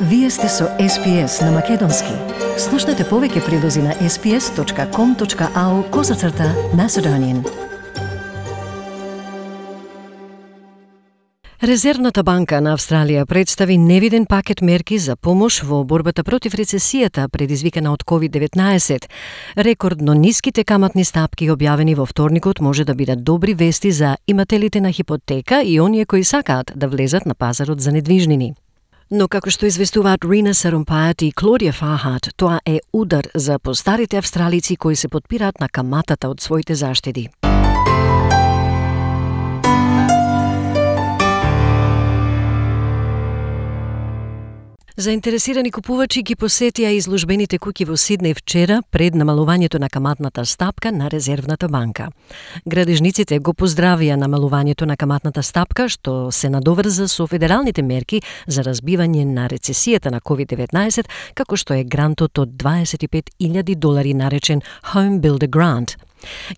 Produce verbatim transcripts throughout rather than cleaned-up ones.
Вие сте со Ес Пи Ес на Македонски. Слушнете повеќе прилози на ес пи ес точка ком точка ау козацрта Macedonian. Резервната банка на Австралија представи невиден пакет мерки за помош во борбата против рецесијата предизвикана од ковид деветнаесет. Рекордно ниските каматни стапки објавени во вторникот може да бидат добри вести за имателите на хипотека и оние кои сакаат да влезат на пазарот за недвижнини. Но како што известуваат Рина Сарумпајат и Клодија Фахат, тоа е удар за постарите австралици кои се потпираат на каматата од своите заштеди. Заинтересирани купувачи ги посетија изложбените куќи во Сиднеј вчера пред намалувањето на каматната стапка на Резервната банка. Градежниците го поздравија намалувањето на каматната стапка, што се надоврза со федералните мерки за разбивање на рецесијата на ковид деветнаесет, како што е грантот од дваесет и пет илјади долари наречен Home Builder Grant.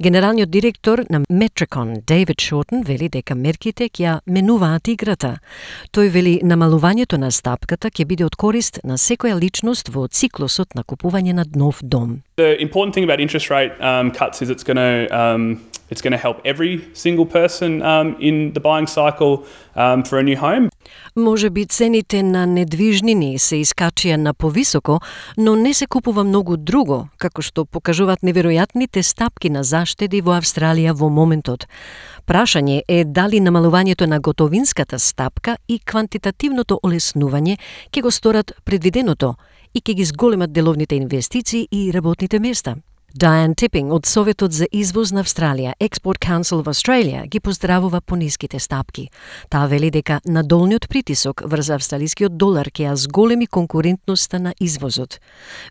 Генералниот директор на Metricon, Дейвид Шортон, вели дека мерките ќе менуваат играта. Тој вели намалувањето на стапката ќе биде од корист на секоја личност во циклусот на купување на нов дом. The important thing about interest rate um, cuts is it's going to um, it's going to help every single person um, in the buying cycle um, for a new home. Може би цените на недвижнини се искачија на повисоко, но не се купува многу друго, како што покажуваат неверојатните стапки на заштеди во Австралија во моментот. Прашање е дали намалувањето на готовинската стапка и квантитативното олеснување ќе го сторат предвиденото и ќе ги зголемат деловните инвестиции и работните места. Diane Tipping од Советот за извоз на Австралија, Export Council of Australia, ги поздравува по ниските стапки. Таа вели дека надолниот притисок врз австралискиот долар ќе ја зголеми конкурентноста на извозот.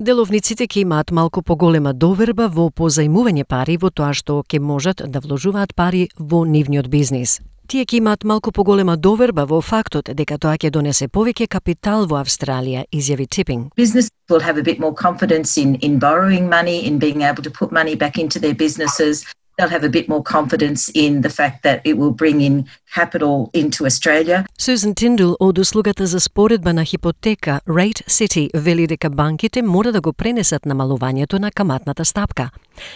Деловниците ќе имаат малку поголема доверба во позајмување пари во тоа што ќе можат да вложуваат пари во нивниот бизнис. Тие ќе имаат малку поголема доверба во фактот дека тоа ќе донесе повеќе капитал во Австралија, изјави Tipping. Business will have a bit more confidence in, in borrowing money, in being able to put money back into their businesses. They'll have a bit more confidence in the fact that it will bring in capital into Australia. Susan Tindall од услугата за споредба на хипотека Rate City вели дека банките мора да го пренесат намалувањето на каматната стапка.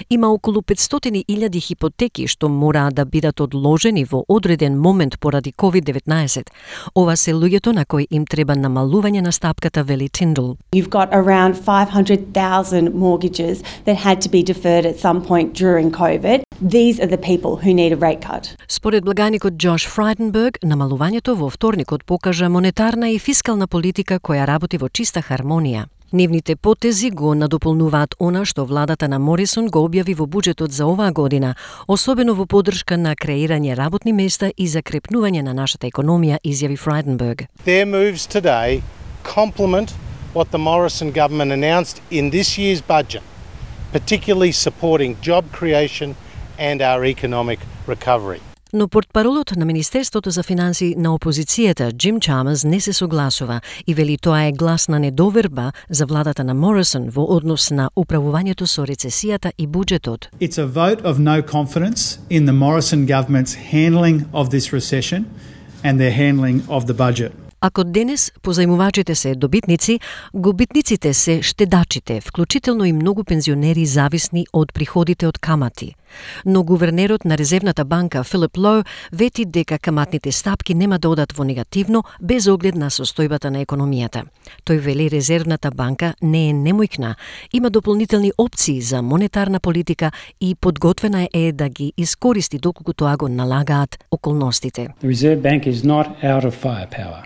Има околу петстотини илјади хипотеки што мора да бидат одложени во одреден момент поради ковид деветнаесет. Ова се луѓето на кои им треба намалување на стапката, вели Tindall. You've got around five hundred thousand mortgages that had to be deferred at some point during COVID. These are the people who need a rate cut. Според благаникот Джош Фрайденберг, намалувањето во вторникот покажа монетарна и фискална политика која работи во чиста хармонија. Нивните потези го надополнуваат она што владата на Морисон го објави во буџетот за оваа година, особено во поддршка на креирање работни места и закрепнување на нашата економија, изјави Фрайденберг. Their moves today complement what the Morrison government announced in this year's budget, particularly supporting job creation and our economic recovery. Но портпаролот на Министерството за финансии на опозицијата, Джим Чамерс, не се согласува и вели тоа е глас на недоверба за владата на Морисон во однос на управувањето со рецесијата и буџетот. It's a vote of no confidence in the Morrison government's handling of this recession and their handling of the budget. Ако денес позајмувачите се добитници, губитниците се штедачите, вклучително и многу пензионери зависни од приходите од камати. Но гувернерот на Резервната банка Филип Лоу вети дека каматните стапки нема да одат во негативно без оглед на состојбата на економијата. Тој вели Резервната банка не е немојкна, има дополнителни опции за монетарна политика и подготвена е да ги искористи доколку тоа го налагаат околностите. The Reserve Bank is not out of firepower.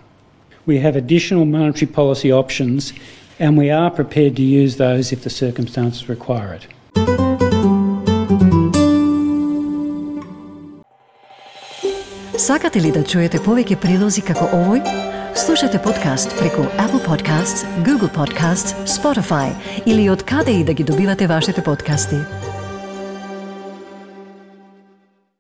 We have additional monetary policy options and we are prepared to use those if the circumstances require it. Сакате ли да чуете повеќе прилози како овој? Слушате подкаст преку Apple Podcasts, Google Podcasts, Spotify или од каде и да ги добивате вашите подкасти.